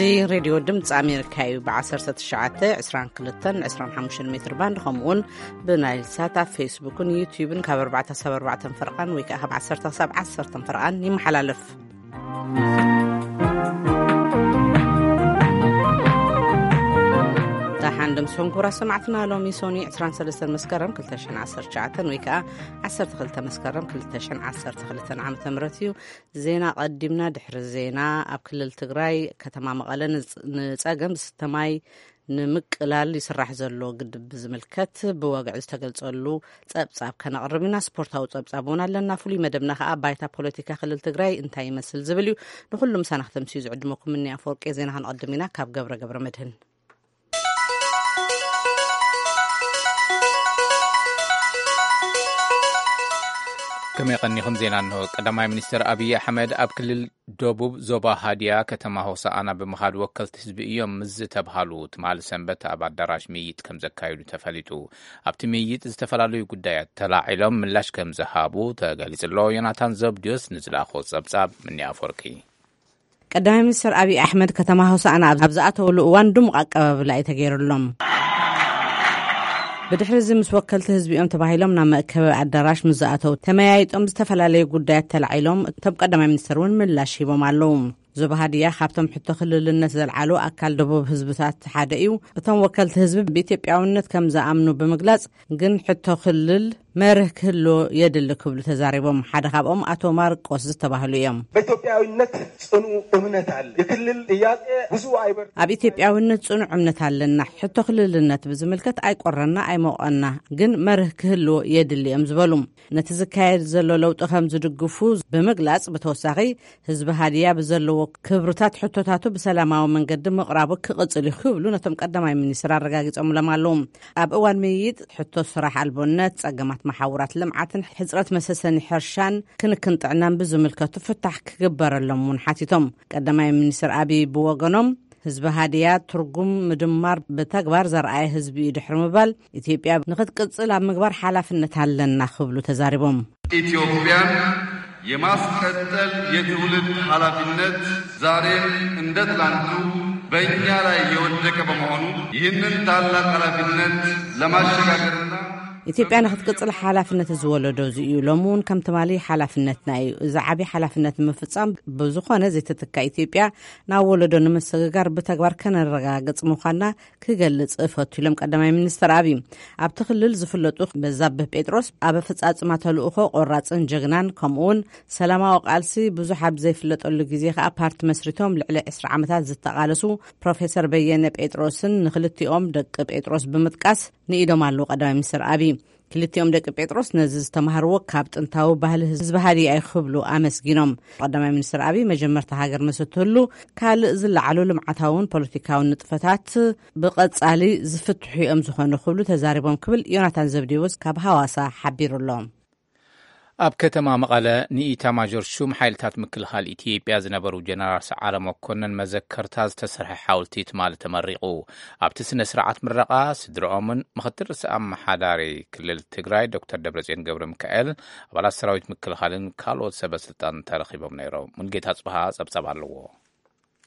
እዚ ሬድዮ ድምፂ ኣሜሪካ እዩ። ብ19፣ 22፣ 25 ሜትር ባንድ፣ ከምኡውን ብናይል ሳት ኣብ ፌስቡክን ዩቲዩብን ካብ ኣርባዕተ ክሳብ ኣርባዕተ ፈርቓን ወይ ከዓ ካብ ዓሰርተ ክሳብ ዓሰርተ ፈርቓን ይመሓላለፍ። ደሓን ዶ ምሳኹም ክቡራት ሰማዕትና። ሎሚ ሶኒ 23 መስከረም 2019 ወይ ከዓ 12 መስከረም 2012 ዓመተ ምህረት እዩ። ዜና ቀዲምና። ድሕሪ ዜና፣ ኣብ ክልል ትግራይ ከተማ መቐለ ንፅ-፣ ንፀገም ዝስተ ማይ ንምቅላል ይስራሕ ዘሎ ግድብ ብዝምልከት ብወግዒ ዝተገልጸሉ ጸብጻብ ከነቕርብ ኢና። ስፖርታዊ ጸብጻብ እውን ኣለና። ፍሉይ መደብና ከኣ ባይታ ፖለቲካ ክልል ትግራይ እንታይ ይመስል ዝብል እዩ። ንኹሉ ምሳና ክተምስዩ ዝዕድመኩም እኒ ኣፈወርቂ። ዜና ክንቐድም ኢና ካብ ገብረ ገብረ መድህን። ከመይ ቀኒኹም? ዜና እንሆ። ቀዳማይ ሚኒስትር ኣብይ ኣሕመድ ኣብ ክልል ደቡብ ዞባ ሃዲያ ከተማ ሆሳኣና ብምኻድ ወከልቲ ህዝቢ እዮም ምስ ዝተብሃሉ ትማሊ ሰንበት ኣብ ኣዳራሽ ምይይጥ ከም ዘካየዱ ተፈሊጡ። ኣብቲ ምይይጥ ዝተፈላለዩ ጉዳያት ተላዒሎም ምላሽ ከም ዝሃቡ ተገሊጹ ኣሎ። ዮናታን ዘብድዮስ ንዝለኣኾ ጸብጻብ ምኒ ኣፈወርቂ። ቀዳማይ ሚኒስትር ኣብይ ኣሕመድ ከተማ ሆሳኣና ኣብ፣ ኣብ ዝኣተውሉ እዋን ድሙቕ ኣቀባብላ እዩ ተገይሩሎም። ብድሕሪ እዚ ምስ ወከልቲ ህዝቢ እዮም ተባሂሎም ናብ መእከቢ ኣዳራሽ ምስ ዝኣተው ተመያይጦም ዝተፈላለዩ ጉዳያት ተላዒሎም እቶም ቀዳማይ ሚኒስትር እውን ምላሽ ሂቦም ኣለዉ። ዞባ ሃዲያ ካብቶም ሕቶ ክልልነት ዘልዓሉ ኣካል ደቡብ ህዝብታት ሓደ እዩ። እቶም ወከልቲ ህዝቢ ብኢትዮጵያውነት ከም ዝኣምኑ ብምግላጽ ግን ሕቶ ክልል መርህ ክህልዎ የድሊ ክብሉ ተዛሪቦም። ሓደ ካብኦም ኣቶ ማርቆስ ዝተባህሉ እዮም። በኢትዮጵያዊነት ጽኑ እምነት አለ። የክልል ጥያቄ ብዙ አይበር- ኣብ ኢትዮጵያውነት ጽኑዕ እምነት ኣለና። ሕቶ ክልልነት ብዝምልከት ኣይቆረና ኣይሞቐና፣ ግን መርህ ክህልዎ የድሊ እዮም ዝበሉ። ነቲ ዝካየድ ዘሎ ለውጢ ከም ዝድግፉ ብምግላጽ፣ ብተወሳኺ ህዝቢ ሃዲያ ብዘለዎ ክብርታት ሕቶታቱ ብሰላማዊ መንገዲ ምቕራቡ ክቕጽል እዩ ክብሉ ነቶም ቀዳማይ ሚኒስትር ኣረጋጊጾምሎም ኣለዉ። ኣብ እዋን ምይይጥ ሕቶ ስራሕ ኣልቦነት፣ ጸገማት መሓውራት ልምዓትን ሕጽረት መሰሰኒ ሕርሻን ክንክን ጥዕናን ብዝምልከቱ ፍታሕ ክግበረሎም እውን ሓቲቶም። ቀዳማይ ሚኒስትር ኣብይ ብወገኖም ህዝቢ ሃዲያ ትርጉም ምድማር ብተግባር ዘርኣየ ህዝቢ እዩ ድሕሪ ምባል፣ ኢትዮጵያ ንክትቅጽል ኣብ ምግባር ሓላፍነት ኣለና ክብሉ ተዛሪቦም። ኢትዮጵያን የማስቀጠል የትውልድ ኃላፊነት ዛሬም እንደ ትላንቱ በእኛ ላይ የወደቀ በመሆኑ ይህንን ታላቅ ኃላፊነት ለማሸጋገርና ኢትዮጵያ ንክትቅጽል ሓላፍነት እዚ ወለዶ እዚ እዩ። ሎሚ እውን ከም ትማሊ ሓላፍነትና እዩ። እዚ ዓቢ ሓላፍነት ንምፍጻም ብዝኾነ ዘይትትካ ኢትዮጵያ ናብ ወለዶ ንምስግጋር ብተግባር ከነረጋግጽ ምዃንና ክገልጽ እፈቱ ኢሎም ቀዳማይ ሚኒስትር ኣብይ። ኣብቲ ክልል ዝፍለጡ በዛብህ ጴጥሮስ ኣብ ኣፈጻጽማ ተልእኾ ቆራጽን ጀግናን፣ ከምኡውን ሰላማዊ ቃልሲ ብዙሕ ኣብ ዘይፍለጠሉ ግዜ ከኣ ፓርቲ መስሪቶም ልዕሊ 20 ዓመታት ዝተቓለሱ ፕሮፌሰር በየነ ጴጥሮስን ንክልቲኦም ደቂ ጴጥሮስ ብምጥቃስ ንኢዶም ኣለዉ ቀዳማይ ሚኒስትር ኣብይ። ክልቲኦም ደቂ ጴጥሮስ ነዚ ዝተማህርዎ ካብ ጥንታዊ ባህሊ ህዝቢ ሃዲያ እዩ ክብሉ ኣመስጊኖም። ቀዳማይ ሚኒስትር ኣብይ መጀመርታ ሃገር ምስ እትህሉ ካልእ ዝለዓሉ ልምዓታውን ፖለቲካውን ንጥፈታት ብቐጻሊ ዝፍትሑ እዮም ዝኾኑ ክብሉ ተዛሪቦም ክብል ዮናታን ዘብዴዎስ ካብ ሃዋሳ ሓቢሩ ኣሎ። ኣብ ከተማ መቐለ ንኢታማዦር ሹም ሓይልታት ምክልኻል ኢትዮጵያ ዝነበሩ ጀነራል ሰዓረ መኮነን መዘከርታ ዝተሰርሐ ሓወልቲ ትማሊ ተመሪቑ። ኣብቲ ስነ ስርዓት ምረቓ ስድርኦምን ምክትል ርእሰ ኣመሓዳሪ ክልል ትግራይ ዶክተር ደብረጽዮን ገብረ ሚካኤል፣ ኣባላት ሰራዊት ምክልኻልን ካልኦት ሰበ ስልጣን ተረኺቦም ነይሮም። ሙልጌታ ጽብሃ ጸብጻብ ኣለዎ።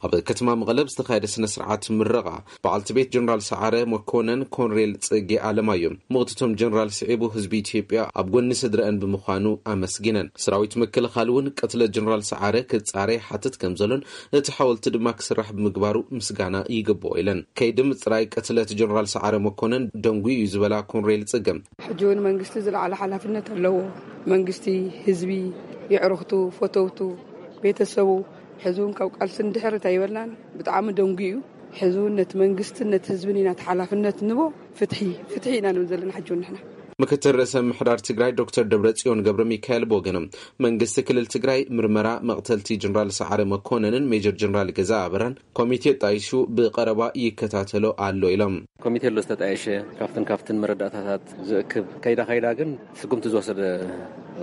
ኣብ ከተማ መቐለ ብዝተኻየደ ስነ ስርዓት ምረቓ በዓልቲ ቤት ጀነራል ሰዓረ መኮነን ኮንሬል ጽጌ ኣለማዮ ምቕትቶም ጀነራል ስዒቡ ህዝቢ ኢትዮጵያ ኣብ ጎኒ ስድረአን ብምዃኑ ኣመስጊነን። ሰራዊት ምክልኻል እውን ቅትለት ጀነራል ሰዓረ ክጻረ ይሓትት ከም ዘሎን እቲ ሓወልቲ ድማ ክስራሕ ብምግባሩ ምስጋና ይግብኦ ኢለን። ከይዲ ምጽራይ ቅትለት ጀነራል ሰዓረ መኮነን ደንጉዩ እዩ ዝበላ ኮንሬል ጽገ ሕጂ እውን መንግስቲ ዝለዓለ ሓላፍነት ኣለዎ። መንግስቲ፣ ህዝቢ፣ የዕሩኽቱ፣ ፈተውቱ፣ ቤተሰቡ ሕዚ እውን ካብ ቃልሲ እንድሕር ኣይበልናን። ብጣዕሚ ደንጉዩ እዩ። ሕዚ እውን ነቲ መንግስትን ነቲ ህዝብን ኢና እቲ ሓላፍነት ንቦ። ፍትሒ፣ ፍትሒ ኢና ንብል ዘለና ሕጂ እውን ንሕና። ምክትል ርእሰ ምሕዳር ትግራይ ዶክተር ደብረጽዮን ገብረ ሚካኤል ብወገኖም መንግስቲ ክልል ትግራይ ምርመራ መቕተልቲ ጀነራል ሰዓረ መኮነንን ሜጀር ጀነራል ገዛ ኣበራን ኮሚቴ ጣይሹ ብቐረባ ይከታተሎ ኣሎ ኢሎም። ኮሚቴ ኣሎ ዝተጣየሸ፣ ካብትን ካብትን መረዳእታታት ዝእክብ ከይዳ ከይዳ ግን ስጉምቲ ዝወሰደ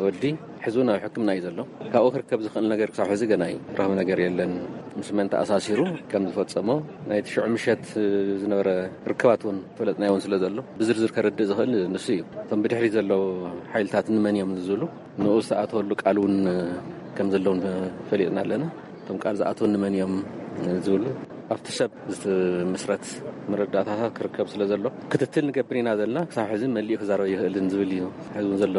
ወዲ ሕዚ እውን ኣብ ሕክምና እዩ ዘሎ። ካብኡ ክርከብ ዝኽእል ነገር ክሳብ ሕዚ ገና እዩ። ረኽቢ ነገር የለን። ምስ መን ተኣሳሲሩ ከም ዝፈጸሞ ናይቲ ሽዑ ምሸት ዝነበረ ርክባት እውን ፈለጥናዮ እውን ስለ ዘሎ ብዝርዝር ከረድእ ዝኽእል ንሱ እዩ። እቶም ብድሕሪት ዘለዉ ሓይልታት ንመን እዮም ዝብሉ ንኡ ዝተኣተወሉ ቃል እውን ከም ዘለውን ፈሊጥና ኣለና። እቶም ቃል ዝኣተዉ ንመን እዮም ዝብሉ ኣብቲ ሰብ ዝትመስረት መረዳእታታት ክርከብ ስለ ዘሎ ክትትል ንገብር ኢና ዘለና። ክሳብ ሕዚ መሊኡ ክዛረብ ይኽእልን ዝብል እዩ ሕዚ እውን ዘሎ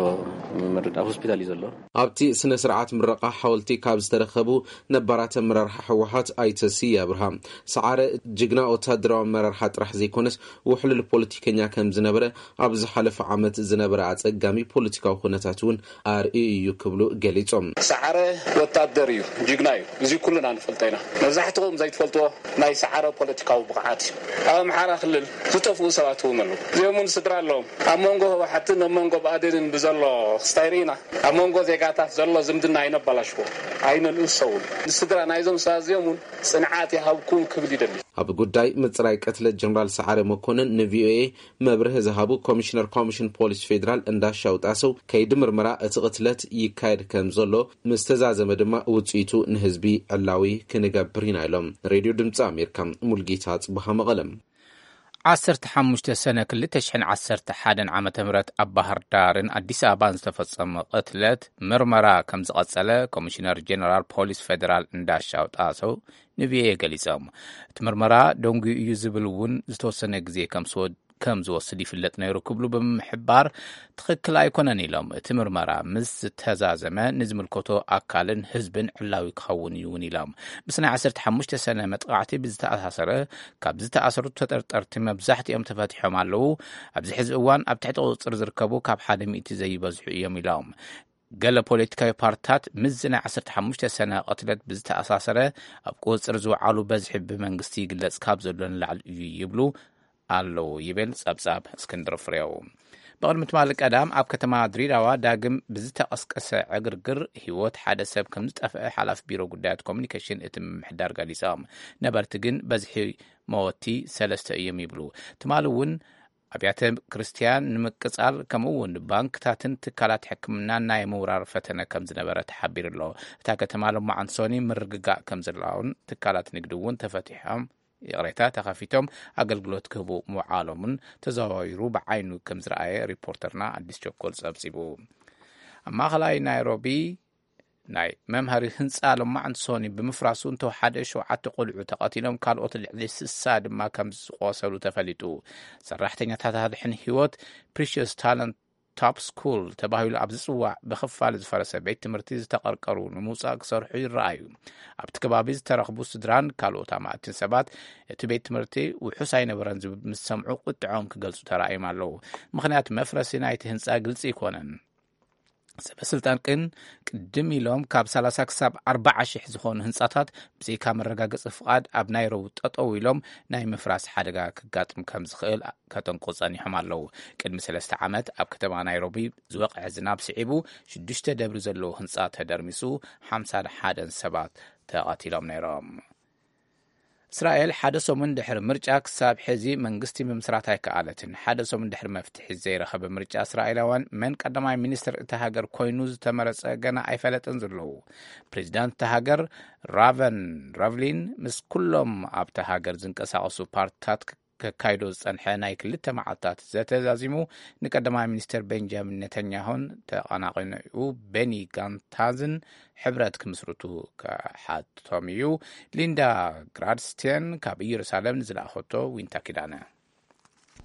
መረዳእ ሆስፒታል እዩ ዘሎ። ኣብቲ ስነ ስርዓት ምረቓ ሓወልቲ ካብ ዝተረኸቡ ነባራት ኣመራርሓ ህወሓት ኣይተ ስየ ኣብርሃ፣ ሰዓረ ጅግና ወታደራዊ ኣመራርሓ ጥራሕ ዘይኮነስ ውሕሉል ፖለቲከኛ ከም ዝነበረ፣ ኣብ ዝሓለፈ ዓመት ዝነበረ ኣጸጋሚ ፖለቲካዊ ኩነታት እውን ኣርእዩ እዩ ክብሉ ገሊጾም። ሰዓረ ወታደር እዩ፣ ጅግና እዩ። እዚ ኩልና ንፈልጦ ኢና። መብዛሕትኹም ዘይትፈልጥዎ ናይ ሰዓረ ፖለቲካዊ ብቕዓት እዩ። ኣብ ኣምሓራ ክልል ዝጠፍኡ ሰባት እውን ኣለዉ። እዚኦም እውን ስድራ ኣለዎም። ኣብ መንጎ ህወሓትን ኣብ መንጎ ብኣዴንን ብዘሎ ክስታይ ርኢና፣ ኣብ መንጎ ዜጋታት ዘሎ ዝምድና ኣይነበላሽዎ፣ ኣይነንእሰውን። ንስድራ ናይዞም ሰባት እዚኦም እውን ጽንዓት ይሃብኩም ክብል ይደሊ። ኣብ ጉዳይ ምጽራይ ቅትለት ጀነራል ሰዓረ መኮንን ንቪኦኤ መብርሂ ዝሃቡ ኮሚሽነር ኮሚሽን ፖሊስ ፌዴራል እንዳሻው ጣሰው፣ ከይዲ ምርመራ እቲ ቅትለት ይካየድ ከም ዘሎ ምስ ተዛዘመ ድማ ውጽኢቱ ንህዝቢ ዕላዊ ክንገብር ኢና ኢሎም። ሬድዮ ድምፂ ኣሜሪካ፣ ሙልጌታ ጽቡሃ መቐለም። ዓሰርተ ሓሙሽተ ሰነ ክልተ ሽሕን ዓሰርተ ሓደን ዓመተ ምህረት ኣብ ባህር ዳርን ኣዲስ ኣበባን ዝተፈጸመ ቅትለት ምርመራ ከም ዝቐጸለ ኮሚሽነር ጀነራል ፖሊስ ፌዴራል እንዳሻው ጣሰው ንቪኦኤ ገሊጾም። እቲ ምርመራ ደንጉዩ እዩ ዝብል እውን ዝተወሰነ ግዜ ከም ዝወ-፣ ከም ዝወስድ ይፍለጥ ነይሩ ክብሉ ብምሕባር፣ ትኽክል ኣይኮነን ኢሎም። እቲ ምርመራ ምስ ዝተዛዘመ ንዝምልከቶ ኣካልን ህዝብን ዕላዊ ክኸውን እዩ እውን ኢሎም። ምስ ናይ ዓሰርተ ሓሙሽተ ሰነ መጥቃዕቲ ብዝተኣሳሰረ፣ ካብ ዝተኣሰሩ ተጠርጠርቲ መብዛሕትኦም ተፈቲሖም ኣለዉ። ኣብዚ ሕዚ እዋን ኣብ ትሕቲ ቁጽጽር ዝርከቡ ካብ ሓደ ሚእቲ ዘይበዝሑ እዮም ኢሎም። ገለ ፖለቲካዊ ፓርትታት ምስዚ ናይ ዓሰርተ ሓሙሽተ ሰነ ቅትለት ብዝተኣሳሰረ ኣብ ቁጽጽር ዝወዓሉ በዝሒ ብመንግስቲ ይግለጽ ካብ ዘሎ ንላዕሊ እዩ ይብሉ ኣለዉ ይብል ጸብጻብ እስክንድር ፍሬው። ብቕድሚ ትማሊ ቀዳም ኣብ ከተማ ድሬዳዋ ዳግም ብዝተቐስቀሰ ዕግርግር ህይወት ሓደ ሰብ ከም ዝጠፍአ ሓላፊ ቢሮ ጉዳያት ኮሚኒኬሽን እቲ ምምሕዳር ገሊጾም። ነበርቲ ግን በዝሒ መወቲ ሰለስተ እዮም ይብሉ። ትማሊ እውን ኣብያተ ክርስቲያን ንምቅጻል ከምኡ እውን ባንክታትን ትካላት ሕክምናን ናይ ምውራር ፈተነ ከም ዝነበረ ተሓቢሩ ኣሎ። እታ ከተማ ሎማዓንቲ ሶኒ ምርግጋእ ከም ዘለውን ትካላት ንግዲ እውን ተፈቲሖም፣ ይቕሬታ፣ ተኸፊቶም ኣገልግሎት ክህቡ ምውዓሎምን ተዘዋዊሩ ብዓይኑ ከም ዝረኣየ ሪፖርተርና ኣዲስ ቸኮል ጸብጺቡ። ኣብ ማእኸላይ ናይሮቢ ናይ መምሃሪ ህንፃ ሎማዕንቲ ሶኒ ብምፍራሱ እንተወሓደ ሸውዓተ ቆልዑ ተቐቲሎም፣ ካልኦት ልዕሊ ስሳ ድማ ከም ዝቆሰሉ ተፈሊጡ። ሰራሕተኛታት ኣድሕን ህይወት ፕሪሽስ ታለንት ቶፕ ስኩል ተባሂሉ ኣብ ዝፅዋዕ ብኽፋል ዝፈረሰ ቤት ትምህርቲ ዝተቐርቀሩ ንምውፃእ ክሰርሑ ይረኣዩ። ኣብቲ ከባቢ ዝተረኽቡ ስድራን ካልኦት ኣማእትን ሰባት እቲ ቤት ትምህርቲ ውሑስ ኣይነበረን ዝብል ምስ ሰምዑ ቁጥዖም ክገልፁ ተራእዮም ኣለዉ። ምኽንያት መፍረሲ ናይቲ ህንፃ ግልፂ ኣይኮነን። ሰበ ስልጣን ግን ቅድም ኢሎም ካብ ሰላሳ ክሳብ ኣርባዓ ሽሕ ዝኾኑ ህንጻታት ብዘይካ መረጋገጺ ፍቓድ ኣብ ናይሮቢ ጠጠው ኢሎም ናይ ምፍራስ ሓደጋ ክጋጥም ከም ዝኽእል ከጠንቁ ጸኒሖም ኣለዉ። ቅድሚ ሰለስተ ዓመት ኣብ ከተማ ናይሮቢ ዝወቕዐ ዝናብ ስዒቡ ሽዱሽተ ደብሪ ዘለዎ ህንጻ ተደርሚሱ ሓምሳን ሓደን ሰባት ተቐቲሎም ነይሮም። እስራኤል ሓደ ሰሙን ድሕሪ ምርጫ ክሳብ ሕዚ መንግስቲ ምምስራት ኣይከኣለትን። ሓደ ሰሙን ድሕሪ መፍትሒ ዘይረኸበ ምርጫ እስራኤላውያን መን ቀዳማይ ሚኒስትር እታ ሃገር ኮይኑ ዝተመረጸ ገና ኣይፈለጥን ዘለዉ። ፕሬዚዳንት እታ ሃገር ራቨን ረቭሊን ምስ ኩሎም ኣብታ ሃገር ዝንቀሳቐሱ ፓርቲታት ከካይዶ ዝጸንሐ ናይ ክልተ መዓልታት ዘተ ዛዚሙ ንቀዳማይ ሚኒስትር ቤንጃሚን ኔታንያሁን ተቐናቒኒኡ ቤኒ ጋንታዝን ሕብረት ክምስርቱ ክሓቶም እዩ። ሊንዳ ግራድስቴን ካብ ኢየሩሳሌም ንዝለኣኸቶ ዊንታ ኪዳነ።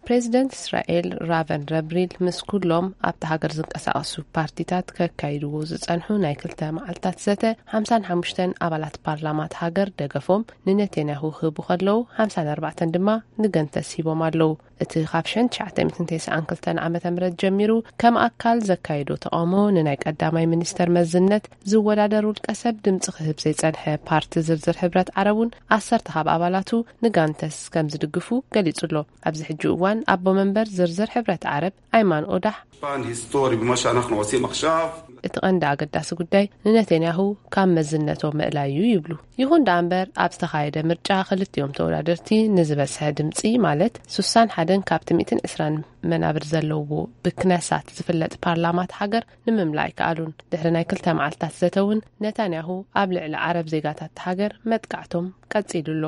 ፕሬዚደንት እስራኤል ራቨን ረብሪል ምስ ኩሎም ኣብቲ ሃገር ዝንቀሳቐሱ ፓርቲታት ከካይድዎ ዝጸንሑ ናይ ክልተ መዓልታት ዘተ፣ ሓምሳን ሓሙሽተን ኣባላት ፓርላማ እታ ሃገር ደገፎም ንነቴንያሁ ክህቡ ከለዉ፣ ሓምሳን ኣርባዕተን ድማ ንገንተስ ሂቦም ኣለዉ። እቲ ካብ ሽሕን ትሽዓተ ሚእትን ተስዓን ክልተን ዓመተ ምህረት ጀሚሩ ከም ኣካል ዘካየዶ ተቓውሞ ንናይ ቀዳማይ ሚኒስተር መዝነት ዝወዳደር ውልቀ ሰብ ድምጺ ክህብ ዘይጸንሐ ፓርቲ ዝርዝር ሕብረት ዓረብ እውን ዓሰርተ ካብ ኣባላቱ ንጋንተስ ከም ዝድግፉ ገሊጹ ኣሎ። ኣብዚ ሕጂ እዋን ኣቦ መንበር ዝርዝር ሕብረት ዓረብ ኣይማን ኦዳሕ፣ الفن هيستوري بما שאנחנו עושים עכשיו። እቲ ቀንዲ ኣገዳሲ ጉዳይ ንነቴንያሁ ካብ መዝነቶ ምእላይ እዩ ይብሉ። ይኹን ደኣ እምበር ኣብ ዝተኻየደ ምርጫ ክልቲኦም ተወዳደርቲ ንዝበዝሐ ድምጺ ማለት ሱሳን ሓደን ካብቲ ሚእትን ዕስራን መናብር ዘለዎ ብክነሳት ዝፍለጥ ፓርላማ እታ ሃገር ንምምላእ ኣይከኣሉን። ድሕሪ ናይ ክልተ መዓልታት ዘተ እውን ነታንያሁ ኣብ ልዕሊ ዓረብ ዜጋታት እታ ሃገር መጥቃዕቶም ቀጺሉ ኣሎ።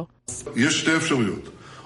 יש שתי אפשרויות.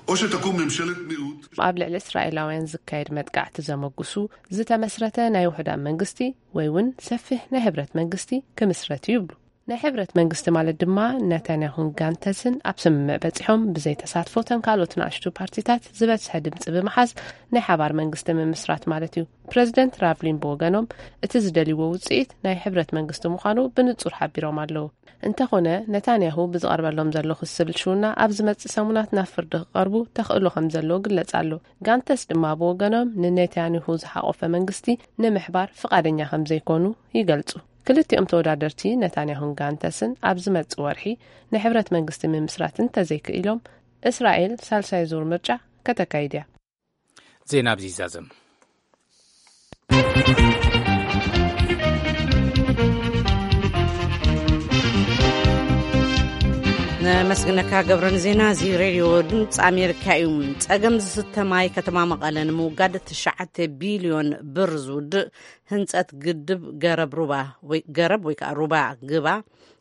או שתקום ממשלת מיעוט. ኣብ ልዕሊ እስራኤላውያን ዝካየድ መጥቃዕቲ ዘመጉሱ ዝተመስረተ ናይ ውሑዳን መንግስቲ ወይ እውን ሰፊሕ ናይ ሕብረት መንግስቲ ክምስረት እዩ ይብሉ። ናይ ሕብረት መንግስቲ ማለት ድማ ነታንያሁን ጋንተስን ኣብ ስምምዕ በጺሖም ብዘይ ተሳትፎ ተን ካልኦት ንኣሽቱ ፓርቲታት ዝበዝሐ ድምጺ ብምሓዝ ናይ ሓባር መንግስቲ ምምስራት ማለት እዩ። ፕረዚደንት ራቭሊን ብወገኖም እቲ ዝደልይዎ ውጽኢት ናይ ሕብረት መንግስቲ ምዃኑ ብንጹር ሓቢሮም ኣለዉ። እንተኾነ ነታንያሁ ብዝቐርበሎም ዘሎ ክሲ ብልሽውና ኣብ ዝመጽእ ሰሙናት ናብ ፍርዲ ክቐርቡ ተኽእሎ ከም ዘለዎ ግለጽ ኣሎ። ጋንተስ ድማ ብወገኖም ንነታንያሁ ዝሓቆፈ መንግስቲ ንምሕባር ፍቓደኛ ከም ዘይኮኑ ይገልጹ። ክልቲኦም ተወዳደርቲ ነታንያሁን ጋንተስን ኣብ ዝመጽእ ወርሒ ንሕብረት መንግስቲ ምምስራት እንተዘይክኢሎም እስራኤል ሳልሳይ ዙር ምርጫ ከተካይድ እያ። ዜና ኣብዚ ይዛዘም። ነመስግነካ ገብረ ንዜና እዚ ሬድዮ ድምፂ ኣሜሪካ እዩ። ጸገም ዝስተ ማይ ከተማ መቐለ ንምውጋድ ትሽዓተ ቢልዮን ብር ዝውድእ ህንፀት ግድብ ገረብ ሩባ ወይ ገረብ ወይ ከዓ ሩባ ግባ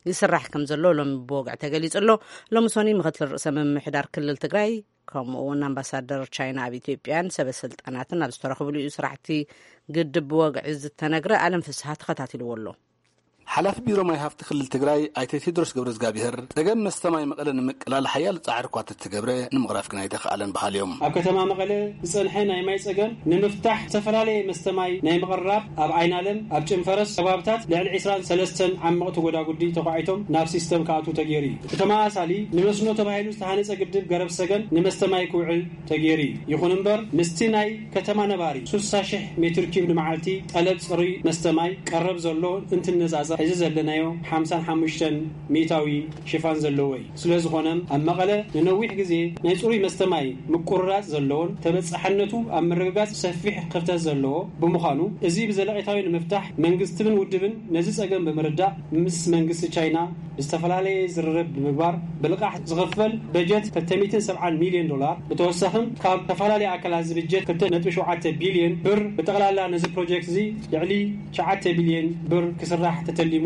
ይስራሕ ከም ዘሎ ሎሚ ብወግዒ ተገሊጹ ኣሎ። ሎሚ ሶኒ ምክትል ርእሰ ምምሕዳር ክልል ትግራይ ከምኡ እውን ኣምባሳደር ቻይና ኣብ ኢትዮጵያን ሰበ ስልጣናትን ኣብ ዝተረኽብሉ እዩ ስራሕቲ ግድብ ብወግዒ ዝተነግረ። ኣለም ፍስሃ ተኸታቲልዎ ኣሎ። ሓላፊ ቢሮ ማይ ሃፍቲ ክልል ትግራይ ኣይተ ቴድሮስ ገብረ እግዚኣብሔር ጸገም መስተ ማይ መቐለ ንምቅላል ሓያል ጻዕሪ እኳ ተተገብረ ንምቕራፍ ግን ኣይተኸኣለን በሃሊ እዮም። ኣብ ከተማ መቐለ ዝጸንሐ ናይ ማይ ጸገም ንምፍታሕ ዝተፈላለየ መስተ ማይ ናይ ምቕራብ ኣብ ዓይናለም ኣብ ጭንፈረስ ከባብታት ልዕሊ ዕስራን ሰለስተን ዓመቕቲ ጎዳጉዲ ተኳዒቶም ናብ ሲስተም ክኣትዉ ተገይሩ እዩ። እቲ ተመሳሳሊ ንመስኖ ተባሂሉ ዝተሃነጸ ግድብ ገረብ ሰገን ንመስተ ማይ ክውዕል ተገይሩ እዩ። ይኹን እምበር ምስቲ ናይ ከተማ ነባሪ ስሳ ሽሕ ሜትር ኪዩብ ንመዓልቲ ጠለብ ጽሩይ መስተ ማይ ቀረብ ዘሎ እንትነጻጸር፣ እዚ ዘለናዮ ሓምሳን ሓሙሽተን ሚእታዊ ሽፋን ዘለዎ እዩ። ስለ ዝኾነ ኣብ መቐለ ንነዊሕ ግዜ ናይ ጽሩይ መስተ ማይ ምቁርራጽ ዘለዎን ተበጻሕነቱ ኣብ ምርግጋጽ ሰፊሕ ክፍተት ዘለዎ ብምዃኑ፣ እዚ ብዘለቒታዊ ንምፍታሕ መንግስትን ውድብን ነዚ ጸገም ብምርዳእ ምስ መንግስቲ ቻይና ዝተፈላለየ ዝርርብ ብምግባር ብልቓሕ ዝኽፈል በጀት ክልተ ሚእትን ሰብዓን ሚልዮን ዶላር ብተወሳኺ ካብ ዝተፈላለየ ኣካላት ዝብጀት ክልተ ነጥቢ ሸውዓተ ቢልዮን ብር ብጠቕላላ ነዚ ፕሮጀክት እዚ ልዕሊ ትሽዓተ ቢልዮን ብር ክስራሕ ተተሊሙ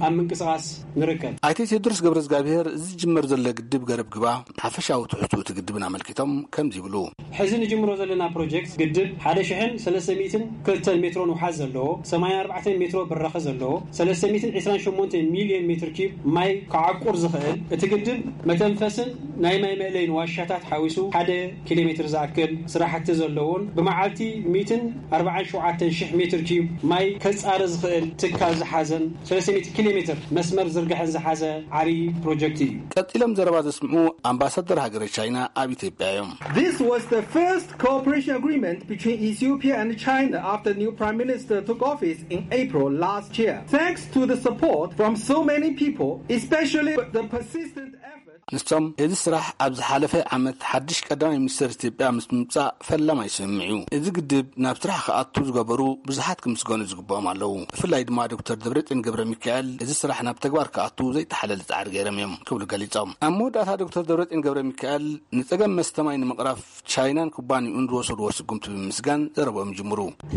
ኣብ ምንቅስቓስ ንርከብ። ኣይተ ቴድሮስ ገብረዝጋብሄር እዚ ዝጅመር ዘሎ ግድብ ገረብ ግባ ሓፈሻዊ ትሕዝቶ እቲ ግድብን ኣመልኪቶም ከምዚ ይብሉ። ሕዚ ንጅምሮ ዘለና ፕሮጀክት ግድብ ሓደ ሽሕን ሰለስተ ሚእትን ክልተን ሜትሮ ንውሓት ዘለዎ፣ ሰማንያን ኣርባዕተን ሜትሮ ብራኸ ዘለዎ፣ ሰለስተ ሚእትን ዕስራን ሸሞንተ ሚልዮን ሜትር ኪዩብ ማይ ክዓቁር ዝኽእል፣ እቲ ግድብ መተንፈስን ናይ ማይ መእለይን ዋሻታት ሓዊሱ ሓደ ኪሎ ሜትር ዝኣክል ስራሕቲ ዘለዎን ብመዓልቲ ሚእትን ኣርባዓን ሸውዓተን ሽሕ ሜትር ኪዩብ ማይ ከጻሪ ዝኽእል ትካል ዝሓዘን ሰለስተ ሚእቲ ኪሎ ሜትር መስመር ዝርግሐን ዝሓዘ ዓብዪ ፕሮጀክት እዩ። ቀጺሎም ዘረባ ዘስምዑ ኣምባሳደር ሃገረ ቻይና ኣብ ኢትዮጵያ እዮም። This was the first cooperation agreement between Ethiopia and China after new Prime Minister took office in April last year. Thanks to the support from so many people, especially the persistent effort. ንሶም እዚ ስራሕ ኣብ ዝሓለፈ ዓመት ሓድሽ ቀዳማይ ሚኒስትር ኢትዮጵያ ምስ ምምጻእ ፈላማይ ስምምዕ እዩ። እዚ ግድብ ናብ ስራሕ ክኣቱ ዝገበሩ ብዙሓት ክምስገኑ ዝግብኦም ኣለዉ። ብፍላይ ድማ ዶክተር ደብረጽዮን ገብረ ሚካኤል እዚ ስራሕ ናብ ተግባር ክኣቱ ዘይተሓለለ ጻዕሪ ገይሮም እዮም ክብሉ ገሊጾም። ኣብ መወዳእታ ዶክተር ደብረጽዮን ገብረ ሚካኤል ንጸገም መስተ ማይ ንምቕራፍ ቻይናን ኩባንኡን ዝወሰድዎ ስጉምቲ ብምምስጋን ዘረብኦም ይጅምሩ። እቲ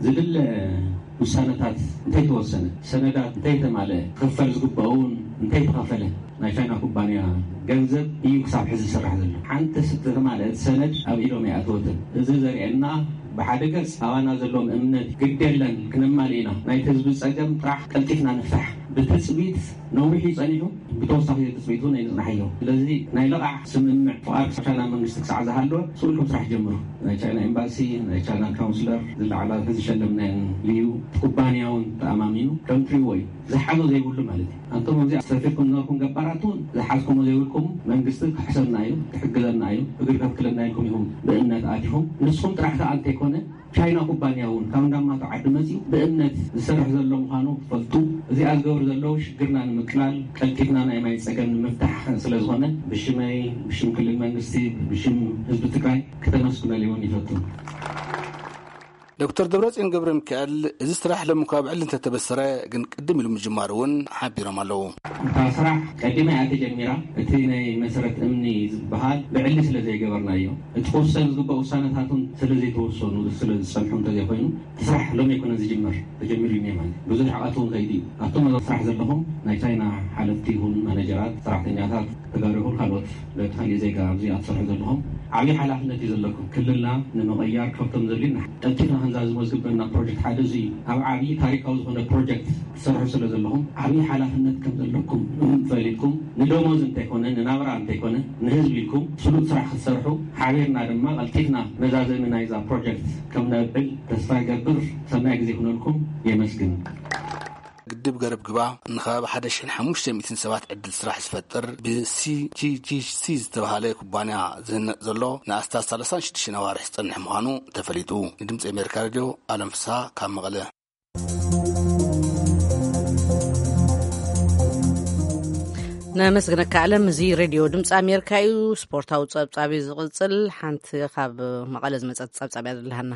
ዝድለ ውሳነታት እንተይተወሰነ፣ ሰነዳት እንተይተማልአ፣ ክኽፈል ዝግባኡን እንተይተኸፈለ ናይ ቻይና ኩባንያ ገንዘብ እዩ ክሳብ ሕዚ ዝስራሕ ዘሎ። ሓንቲ ዝተማልአት ሰነድ ኣብ ኢዶም ኣይኣተወትን። እዚ ዘርእየና ብሓደ ገጽ ኣባና ዘለዎም እምነት ግድ የለን ክነማልእ ኢና፣ ናይቲ ህዝቢ ጸገም ጥራሕ ቀልጢፍና ንፍታሕ ብትጽቢት ነዊሕ እዩ ጸኒሑ። ብተወሳኺ ትጽቢት እውን ኣይንጽናሕዮ። ስለዚ ናይ ልቓሕ ስምምዕ ፍቓድ ካብ ቻይና መንግስቲ ክሳዕ ዝሃለወ ስቕ ኢልኩም ስራሕ ጀምሩ። ናይ ቻይና ኤምባሲ፣ ናይ ቻይና ካውንስለር፣ ዝለዓላ ዝሸለምናየን ልዩ ኩባንያ እውን ተኣማሚኑ ከም ትሪእዎ እዩ። ዝሓዞ ዘይብሉ ማለት እዩ። ኣንቶም ኣብዚ ኣስተፊርኩም ዝነበርኩም ገባራት እውን ዝሓዝኩሞ ዘይብልኩም መንግስቲ ክሕሰብና እዩ፣ ክሕግዘና እዩ፣ እግሪ ከትክለና ኢልኩም ኢኹም ብእምነት ኣቲኹም። ንስኹም ጥራሕ ከኣ እንተይኮነ ቻይና ኩባንያ እውን ካብ እንዳማቱ ዓዲ መጺኡ ብእምነት ዝሰርሕ ዘሎ ምዃኑ ክፈልጡ፣ እዚኣ ዝገብሩ ዘለዉ ሽግርና ንምቅላል ቀልጢፍና ናይ ማይ ጸገም ንምፍታሕ ስለ ዝኾነ ብሽመይ፣ ብሽም ክልል መንግስቲ፣ ብሽም ህዝቢ ትግራይ ክተመስግነሉ እውን ይፈቱ። ዶክተር ደብረጽዮን ገብረ ሚካኤል እዚ ስራሕ ሎሚ እኳ ብዕሊ እንተተበሰረ ግን ቅድም ኢሉ ምጅማሩ እውን ሓቢሮም ኣለዉ። እታ ስራሕ ቀዲማ እያ ተጀሚራ። እቲ ናይ መሰረት እምኒ ዝበሃል ብዕሊ ስለ ዘይገበርናዮ፣ እቲ ክውሰን ዝግባእ ውሳነታት እውን ስለ ዘይተወሰኑ፣ ስለ ዝጸንሑ እንተዘይኮይኑ፣ እቲ ስራሕ ሎሚ ኣይኮነን ዝጅመር፣ ተጀሚሩ እዩ ማለት እዩ። ብዙሕ ርሕቐት እውን ከይዱ እዩ። ኣቶም ኣብ ስራሕ ዘለኹም ናይ ቻይና ሓለፍቲ ይኹን ማኔጀራት፣ ሰራሕተኛታት፣ ተጋሩ ይኹን ካልኦት፣ በቲ ካሊእ ዜጋ ኣብዚ ኣትሰርሑ ዘለኹም፣ ዓብዪ ሓላፍነት እዩ ዘለኩም። ክልልና ንምቕያር ካብቶም ዘድልዩና ቀልጢፍና ክንዛዝሞ ዝግበና ፕሮጀክት ሓደ እዚ እዩ። ኣብ ዓብዪ ታሪካዊ ዝኾነ ፕሮጀክት ትሰርሑ ስለ ዘለኹም ዓብዪ ሓላፍነት ከም ዘለኩም እውን ፈሊጥኩም ንደሞዝ እንተይኮነ ንናብራ እንተይኮነ ንህዝቢ ኢልኩም ስሉጥ ስራሕ ክትሰርሑ ሓቢርና ድማ ቀልጢፍና መዛዘሚ ናይዛ ፕሮጀክት ከም ነብዕል ተስፋ ይገብር። ሰናይ ግዜ ይኹነልኩም። የመስግን። ግድብ ገረብ ግባ ንከባቢ ሓደ ሽሕን ሓሙሽተ ሚእትን ሰባት ዕድል ስራሕ ዝፈጥር ብሲጂጂሲ ዝተባሃለ ኩባንያ ዝህነፅ ዘሎ ንኣስታት ሰላሳን ሽዱሽተን ኣዋርሕ ዝፀንሕ ምዃኑ ተፈሊጡ። ንድምፂ ኣሜሪካ ሬድዮ ኣለም ፍስሃ ካብ መቐለ። ነመስግነካ ኣለም። እዚ ሬድዮ ድምፂ ኣሜሪካ እዩ። ስፖርታዊ ፀብፃብ እዩ ዝቕፅል። ሓንቲ ካብ መቐለ ዝመፀት ፀብፃብ እያ ዘለሃና።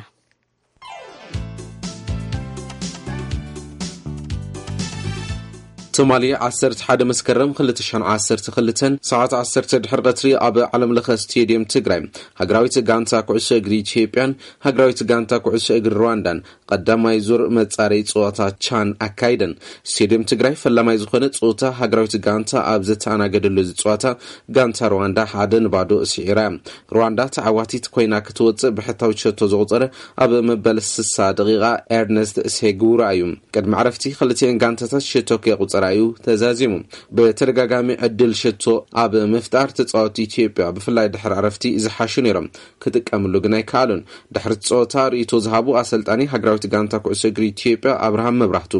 ትማሊ ዓሰርተ ሓደ መስከረም ክልተ ሽሕን ዓሰርተ ክልተን ሰዓት ዓሰርተ ድሕሪ ቀትሪ ኣብ ዓለም ለኸ ስቴድየም ትግራይ ሃገራዊት ጋንታ ኩዕሶ እግሪ ኢትዮጵያን ሃገራዊት ጋንታ ኩዕሶ እግሪ ሩዋንዳን ቀዳማይ ዙር መጻረይ ጸወታ ቻን ኣካይደን። ስቴድየም ትግራይ ፈላማይ ዝኾነ ጸወታ ሃገራዊት ጋንታ ኣብ ዘተኣናገደሉ እዚ ጸወታ ጋንታ ሩዋንዳ ሓደ ንባዶ ስዒራ። ሩዋንዳ ተዓዋቲት ኮይና ክትወጽእ ብሕታዊ ሸቶ ዘቑጸረ ኣብ መበል ስሳ ደቂቓ ኤርነስት ሴጉራ እዩ። ቅድሚ ዕረፍቲ ክልቲኤን ጋንታታት ሸቶ ከየቑጸራ እዩ ተዛዚሙ። ብተደጋጋሚ ዕድል ሸቶ ኣብ ምፍጣር ተጻወቲ ኢትዮጵያ ብፍላይ ድሕሪ ዕረፍቲ ዝሓሹ ነይሮም። ክጥቀምሉ ግን ኣይከኣሉን። ድሕሪ እቲ ጸወታ ርእይቶ ዝሃቡ ኣሰልጣኒ ሃገራዊት ጋንታ ኩዕሶ እግሪ ኢትዮጵያ ኣብርሃም መብራህቱ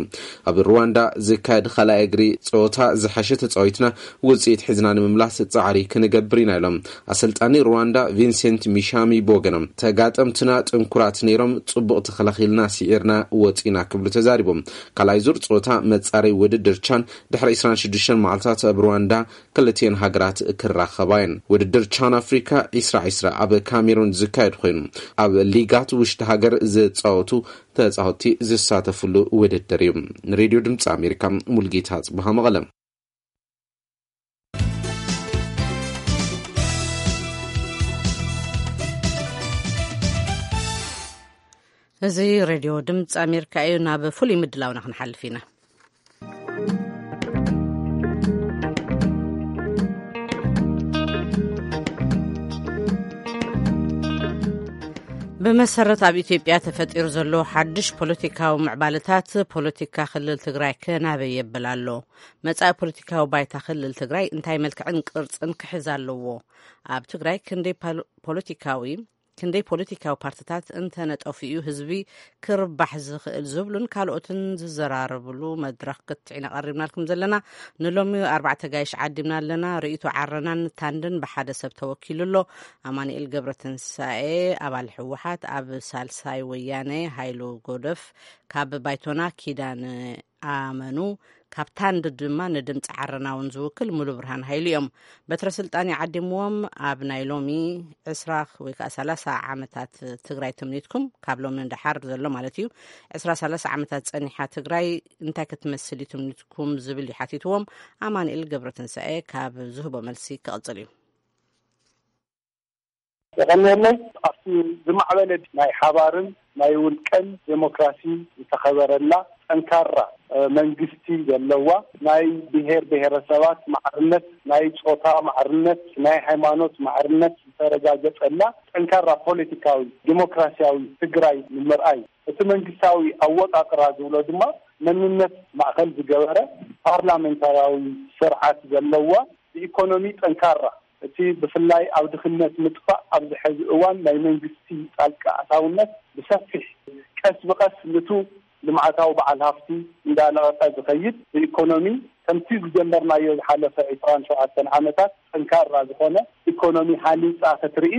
ኣብ ሩዋንዳ ዝካየድ ካልኣይ እግሪ ጸወታ ዝሓሸ ተጻዊትና ውጽኢት ሒዝና ንምምላስ ጻዕሪ ክንገብር ኢና ኢሎም። ኣሰልጣኒ ሩዋንዳ ቪንሴንት ሚሻሚ ብወገኖም ተጋጠምትና ጥንኩራት ነይሮም፣ ጽቡቕ ተኸላኺልና ስዒርና ወጺና ክብሉ ተዛሪቦም። ካልኣይ ዙር ጸወታ መጻረይ ውድድር ቻን ድሕሪ ዕስራን ሽዱሽተን መዓልታት ኣብ ሩዋንዳ ክልቲኤን ሃገራት ክራኸባ እየን። ውድድር ቻን ኣፍሪካ ዕስራ ዕስራ ኣብ ካሜሩን ዝካየድ ኮይኑ ኣብ ሊጋት ውሽጢ ሃገር ዝፃወቱ ተፃወቲ ዝሳተፍሉ ውድድር እዩ። ንሬድዮ ድምፂ ኣሜሪካ ሙልጌታ ፅብሃ መቐለ። እዚ ሬድዮ ድምፂ ኣሜሪካ እዩ። ናብ ፍሉይ ምድላውና ክንሓልፍ ኢና። ብመሰረት ኣብ ኢትዮጵያ ተፈጢሩ ዘሎ ሓድሽ ፖለቲካዊ ምዕባለታት ፖለቲካ ክልል ትግራይ ከናበይ የብል ኣሎ? መጻኢ ፖለቲካዊ ባይታ ክልል ትግራይ እንታይ መልክዕን ቅርጽን ክሕዝ ኣለዎ? ኣብ ትግራይ ክንደይ ፖለቲካዊ ክንደይ ፖለቲካዊ ፓርትታት እንተነጠፉ እዩ ህዝቢ ክርባሕ ዝኽእል ዝብሉን ካልኦትን ዝዘራረብሉ መድረኽ ክትዕና ቀሪብናልኩም ዘለና። ንሎሚ ኣርባዕተ ጋይሽ ዓዲምና ኣለና። ርእይቶ ዓረናን ታንድን ብሓደ ሰብ ተወኪሉ ኣሎ። ኣማኑኤል ገብረትንሳኤ ኣባል ህወሓት፣ ኣብ ሳልሳይ ወያነ ሃይሉ ጎደፍ፣ ካብ ባይቶና ኪዳን ኣመኑ፣ ካብ ታንድ ድማ ንድምፂ ዓረና እውን ዝውክል ሙሉ ብርሃን ሃይሉ እዮም። በትረ ስልጣን ይዓዲምዎም። ኣብ ናይ ሎሚ ዕስራ ወይ ከዓ ሰላሳ ዓመታት ትግራይ ትምኒትኩም፣ ካብ ሎሚ ንደሓር ዘሎ ማለት እዩ፣ ዕስራ ሰላሳ ዓመታት ፀኒሓ ትግራይ እንታይ ክትመስል እዩ ትምኒትኩም ዝብል እዩ ሓቲትዎም። ኣማኑኤል ገብረትንሳኤ ካብ ዝህቦ መልሲ ክቕፅል እዩ። የቐንየለይ። ኣብቲ ዝማዕበለ ናይ ሓባርን ናይ ውልቀን ዴሞክራሲ ዝተኸበረላ ጠንካራ መንግስቲ ዘለዋ፣ ናይ ብሄር ብሄረሰባት ማዕርነት፣ ናይ ጾታ ማዕርነት፣ ናይ ሃይማኖት ማዕርነት ዝተረጋገጸላ ጠንካራ ፖለቲካዊ ዴሞክራሲያዊ ትግራይ ንምርኣይ፣ እቲ መንግስታዊ ኣወቃቅራ ዝብሎ ድማ መንነት ማእኸል ዝገበረ ፓርላሜንታራዊ ስርዓት ዘለዋ፣ ብኢኮኖሚ ጠንካራ፣ እቲ ብፍላይ ኣብ ድኽነት ምጥፋእ ኣብዚ ሕዚ እዋን ናይ መንግስቲ ጣልቃ ኣታውነት ብሰፊሕ ቀስ ብቐስ ንቱ ልምዓታዊ በዓል ሃፍቲ እንዳለቐቐ ዝኸይድ፣ ብኢኮኖሚ ከምቲ ዝጀመርናዮ ዝሓለፈ ዕስራን ሸውዓተን ዓመታት ጠንካራ ዝኾነ ኢኮኖሚ ሃኒፃ ክትርኢ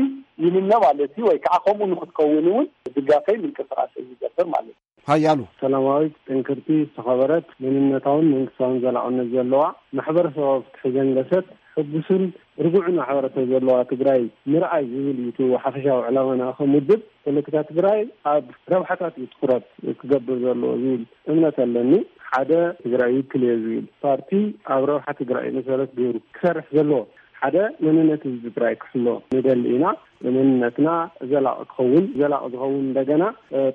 ይምነ ማለት እዩ። ወይ ከዓ ከምኡ ንክትከውን እውን ድጋፈይ ምንቅስቃሰይ ይገብር ማለት እዩ። ሃያሉ ሰላማዊት፣ ጥንክርቲ፣ ዝተኸበረት፣ መንነታውን መንግስታውን ዘላቕነት ዘለዋ፣ ማሕበረሰባዊ ፍትሒ ዘንገሰት፣ ሕጉስን ርጉዕን ማሕበረሰብ ዘለዋ ትግራይ ምርኣይ ዝብል እዩ እቲ ሓፈሻዊ ዕላማና። ከም ውድብ ፖለቲካ ትግራይ ኣብ ረብሓታት እዩ ትኹረት ክገብር ዘለዎ ዝብል እምነት ኣለኒ። ሓደ ትግራይ ይውክል እየ ዝብል ፓርቲ ኣብ ረብሓ ትግራይ መሰረት ገይሩ ክሰርሕ ዘለዎ ሓደ መንነት ህዝቢ ትግራይ ክሕሎ ንደሊ ኢና። መንነትና ዘላቂ ክኸውን፣ ዘላቂ ዝኸውን እንደገና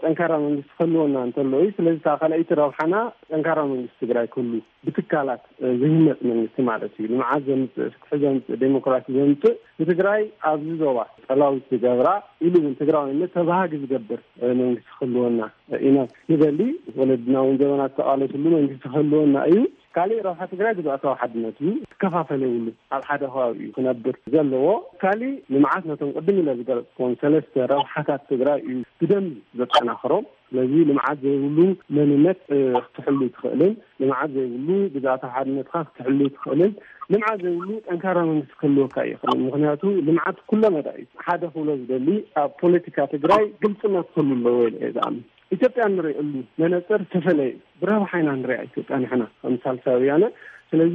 ጠንካራ መንግስቲ ክህልወና እንተሎ እዩ። ስለዚ እታ ካልኣይቲ ረብሓና ጠንካራ መንግስቲ ትግራይ ክህሉ፣ ብትካላት ዝህነፅ መንግስቲ ማለት እዩ። ልምዓት ዘምፅእ፣ ፍትሒ ዘምፅእ፣ ዴሞክራሲ ዘምፅእ፣ ንትግራይ ኣብዚ ዞባ ጠላዊት ዝገብራ ኢሉ እውን ትግራዋይነት ተባሃጊ ዝገብር መንግስቲ ክህልወና ኢና ንደሊ። ወለድና እውን ዘበናት ዝተቃለስሉ መንግስቲ ክህልወና እዩ። ካሊእ ረብሓ ትግራይ ግዝኣታዊ ሓድነት እዩ። ክከፋፈል የብሉ። ኣብ ሓደ ከባቢ እዩ ክነብር ዘለዎ። ካሊእ ልምዓት ነቶም ቅድም ኢለ ዝገለፅኩዎም ሰለስተ ረብሓታት ትግራይ እዩ ብደንቢ ዘጠናኽሮም። ስለዚ ልምዓት ዘይብሉ መንነት ክትሕሉ ትኽእልን፣ ልምዓት ዘይብሉ ግዝኣታዊ ሓድነትካ ክትሕሉ ትኽእልን፣ ልምዓት ዘይብሉ ጠንካራ መንግስቲ ክህልወካ ይኽእልን። ምክንያቱ ልምዓት ኩለ መዳ እዩ። ሓደ ክብሎ ዝደሊ፣ ኣብ ፖለቲካ ትግራይ ግልፅነት ክህሉ ኣለዎ ኢለ እየ ዝኣምን። ኢትዮጵያ እንሪእሉ መነፅር ዝተፈለየ እዩ። ብረብሓ ኢና ንሪኣ ኢትዮጵያ ንሕና ከም ሳልሳይ ወያነ። ስለዚ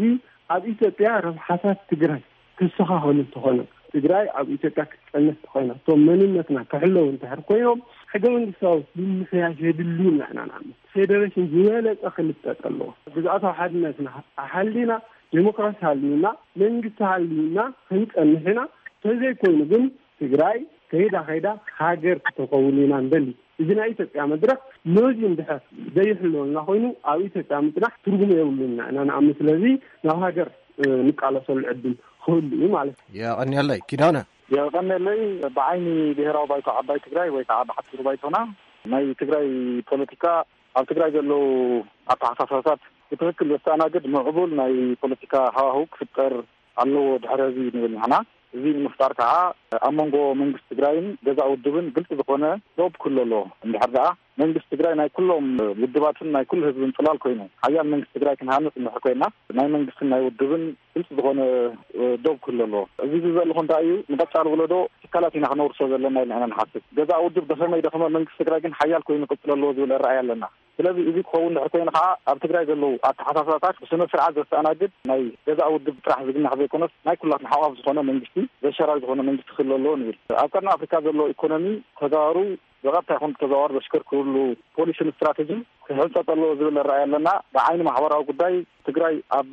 ኣብ ኢትዮጵያ ረብሓታት ትግራይ ክስተኻኸሉ እንተኾነ፣ ትግራይ ኣብ ኢትዮጵያ ክትፀንሕ እንተኾይና፣ እቶም መንነትና ክሕለው እንተሕር ኮይኖም፣ ሕገ መንግስታዊ ምምሕያሽ የድልዩና ኢና ንኣምን። ፌደሬሽን ዝበለፀ ክልጠጥ ኣለዎ። ግዝኣታዊ ሓድነትና ኣሓሊና፣ ዴሞክራሲ ሃልዩና፣ መንግስቲ ሃልዩና ክንፀንሕ ኢና። ተዘይኮይኑ ግን ትግራይ ከይዳ ከይዳ ሃገር ክትከውን ኢና ንደሊ። እዚ ናይ ኢትዮጵያ መድረክ ነዚ እንድሕር ዘይሕለወልና ኮይኑ፣ ኣብ ኢትዮጵያ ምፅናሕ ትርጉም የብሉና ኢና ንኣምን። ስለዚ ናብ ሃገር ንቃለሰሉ ዕድል ክህሉ እዩ ማለት እዩ። የቐንየለይ ኪዳነ። የቐንየለይ። ብዓይኒ ብሔራዊ ባይቶ ዓባይ ትግራይ ወይ ከዓ ብሓፂሩ ባይቶና፣ ናይ ትግራይ ፖለቲካ፣ ኣብ ትግራይ ዘለዉ ኣተሓሳስባታት ብትኽክል ዘስተኣናግድ ምዕቡል ናይ ፖለቲካ ሃዋህው ክፍጠር ኣለዎ ድሕሪ ህዝቢ ንብል ንሕና። እዚ ንምፍጣር ከዓ ኣብ መንጎ መንግስቲ ትግራይን ገዛእ ውድብን ግልፂ ዝኾነ ዶብ ክህሉ ኣለዎ። እንድሕር ደኣ መንግስቲ ትግራይ ናይ ኩሎም ውድባትን ናይ ኩሉ ህዝብን ፅላል ኮይኑ፣ ሓያል መንግስቲ ትግራይ ክንሃንፅ እንድሕር ኮይና፣ ናይ መንግስትን ናይ ውድብን ግልፂ ዝኾነ ዶብ ክህሉ ኣለዎ። እዚ ዝዘለኹ እንታይ እዩ፣ ንቐፃሊ ወለዶ ትካላት ኢና ክነውርሶ ዘለና ኢልና ኢና ንሓስብ። ገዛእ ውድብ ደኸመ ይደኸመ፣ መንግስቲ ትግራይ ግን ሓያል ኮይኑ ክቅፅል ኣለዎ ዝብል ራእይ ኣለና። ስለዚ እዚ ክኸውን ድሕር ኮይኑ ከዓ፣ ኣብ ትግራይ ዘለዉ ኣተሓሳስባታት ብስነ ስርዓት ዘስተኣናግድ ናይ ገዛእ ውድብ ጥራሕ ዝግናሕ ዘይኮነስ፣ ናይ ኩላትና ሓቋፍ ዝኾነ መንግስቲ፣ ዘሸራሪ ዝኾነ መንግስቲ ክህሉ ኣለዎ ንብል። ኣብ ቀርኒ ኣፍሪካ ዘሎ ኢኮኖሚ ተጋሩ ብቐጥታ ይኹን ብተዘዋዋሪ ዘሽከርክርሉ ፖሊስን ስትራተጂን ክሕንፀፅ ኣለዎ ዝብል ራእይ ኣለና። ብዓይኒ ማሕበራዊ ጉዳይ፣ ትግራይ ኣብ